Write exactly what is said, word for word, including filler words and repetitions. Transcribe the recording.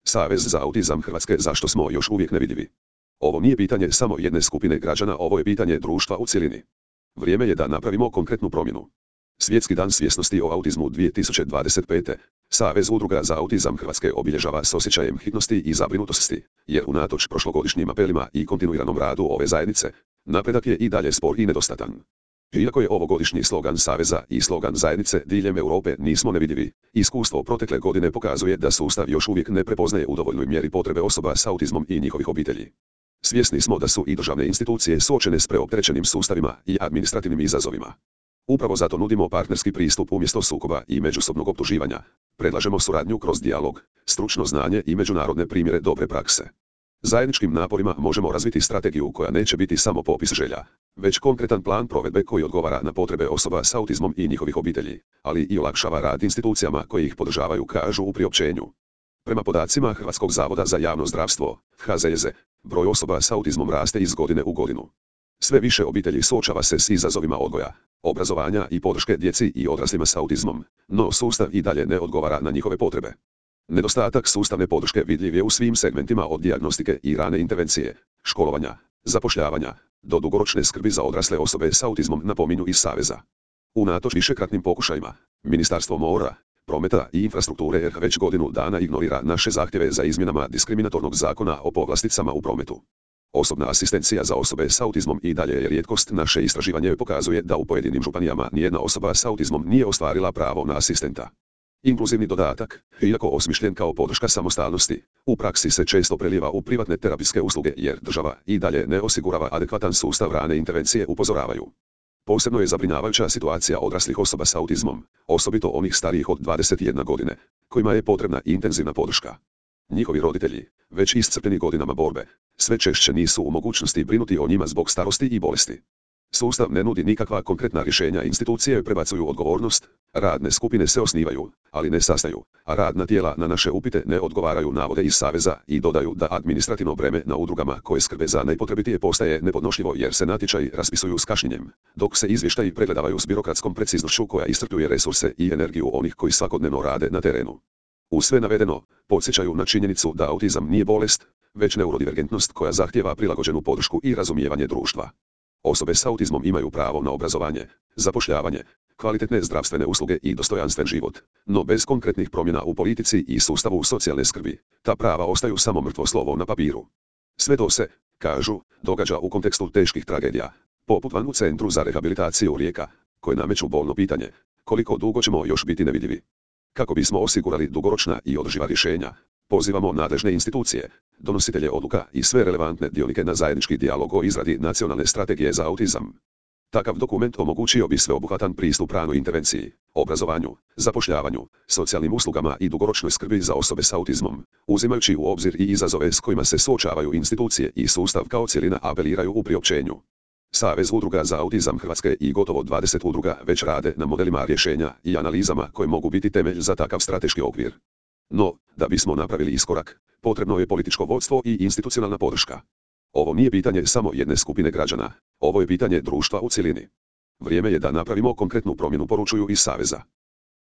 Savez za autizam Hrvatske, zašto smo još uvijek nevidljivi? Ovo nije pitanje samo jedne skupine građana, ovo je pitanje društva u cjelini. Vrijeme je da napravimo konkretnu promjenu. Svjetski dan svjesnosti o autizmu dvije tisuće dvadeset pete. Savez udruga za autizam Hrvatske obilježava s osjećajem hitnosti i zabrinutosti, jer unatoč prošlogodišnjim apelima i kontinuiranom radu ove zajednice, napredak je i dalje spor i nedostatan. Iako je ovogodišnji slogan Saveza i slogan zajednice diljem Europe nismo nevidljivi, iskustvo protekle godine pokazuje da sustav još uvijek ne prepoznaje u dovoljnoj mjeri potrebe osoba s autizmom i njihovih obitelji. Svjesni smo da su i državne institucije suočene s preopterećenim sustavima i administrativnim izazovima. Upravo zato nudimo partnerski pristup umjesto sukoba i međusobnog optuživanja. Predlažemo suradnju kroz dijalog, stručno znanje i međunarodne primjere dobre prakse. Zajedničkim naporima možemo razviti strategiju koja neće biti samo popis želja, već konkretan plan provedbe koji odgovara na potrebe osoba s autizmom i njihovih obitelji, ali i olakšava rad institucijama koje ih podržavaju, kažu u priopćenju. Prema podacima Hrvatskog zavoda za javno zdravstvo, H Z J Z, broj osoba s autizmom raste iz godine u godinu. Sve više obitelji suočava se s izazovima odgoja, obrazovanja i podrške djeci i odraslima s autizmom, no sustav i dalje ne odgovara na njihove potrebe. Nedostatak sustavne podrške vidljiv je u svim segmentima, od dijagnostike i rane intervencije, školovanja, zapošljavanja, do dugoročne skrbi za odrasle osobe s autizmom, napominju iz Saveza. Unatoč višekratnim pokušajima, Ministarstvo mora, prometa i infrastrukture R H već godinu dana ignorira naše zahtjeve za izmjenama diskriminatornog zakona o povlasticama u prometu. Osobna asistencija za osobe s autizmom i dalje je rijetkost. Naše istraživanje pokazuje da u pojedinim županijama nijedna osoba s autizmom nije ostvarila pravo na asistenta. Inkluzivni dodatak, iako osmišljen kao podrška samostalnosti, u praksi se često prelijeva u privatne terapijske usluge jer država i dalje ne osigurava adekvatan sustav rane intervencije, upozoravaju. Posebno je zabrinjavajuća situacija odraslih osoba s autizmom, osobito onih starijih od dvadeset jedne godine, kojima je potrebna intenzivna podrška. Njihovi roditelji, već iscrpljeni godinama borbe, sve češće nisu u mogućnosti brinuti o njima zbog starosti i bolesti. Sustav ne nudi nikakva konkretna rješenja, institucije prebacuju odgovornost, radne skupine se osnivaju, ali ne sastaju, a radna tijela na naše upite ne odgovaraju, navode iz Saveza i dodaju da administrativno breme na udrugama koje skrbe za najpotrebitije postaje nepodnošljivo jer se natječaji raspisuju s kašnjenjem, dok se izvještaji pregledavaju s birokratskom preciznošću koja iscrpljuje resurse i energiju onih koji svakodnevno rade na terenu. U sve navedeno, podsjećaju na činjenicu da autizam nije bolest, već neurodivergentnost koja zahtijeva prilagođenu podršku i razumijevanje društva. Osobe s autizmom imaju pravo na obrazovanje, zapošljavanje, kvalitetne zdravstvene usluge i dostojanstven život, no bez konkretnih promjena u politici i sustavu socijalne skrbi, ta prava ostaju samo mrtvo slovo na papiru. Sve to se, kažu, događa u kontekstu teških tragedija, poput van u Centru za rehabilitaciju Rijeka, koje nameću bolno pitanje, koliko dugo ćemo još biti nevidljivi. Kako bismo osigurali dugoročna i održiva rješenja, pozivamo nadležne institucije, donositelje odluka i sve relevantne dionike na zajednički dijalog o izradi nacionalne strategije za autizam. Takav dokument omogućio bi sveobuhvatan pristup ranoj intervenciji, obrazovanju, zapošljavanju, socijalnim uslugama i dugoročnoj skrbi za osobe s autizmom, uzimajući u obzir i izazove s kojima se suočavaju institucije i sustav kao cjelina, apeliraju u priopćenju. Savez udruga za autizam Hrvatske i gotovo dvadeset udruga već rade na modelima rješenja i analizama koje mogu biti temelj za takav strateški okvir. No, da bismo napravili iskorak, potrebno je političko vodstvo i institucionalna podrška. Ovo nije pitanje samo jedne skupine građana, ovo je pitanje društva u cjelini. Vrijeme je da napravimo konkretnu promjenu, poručuju iz Saveza.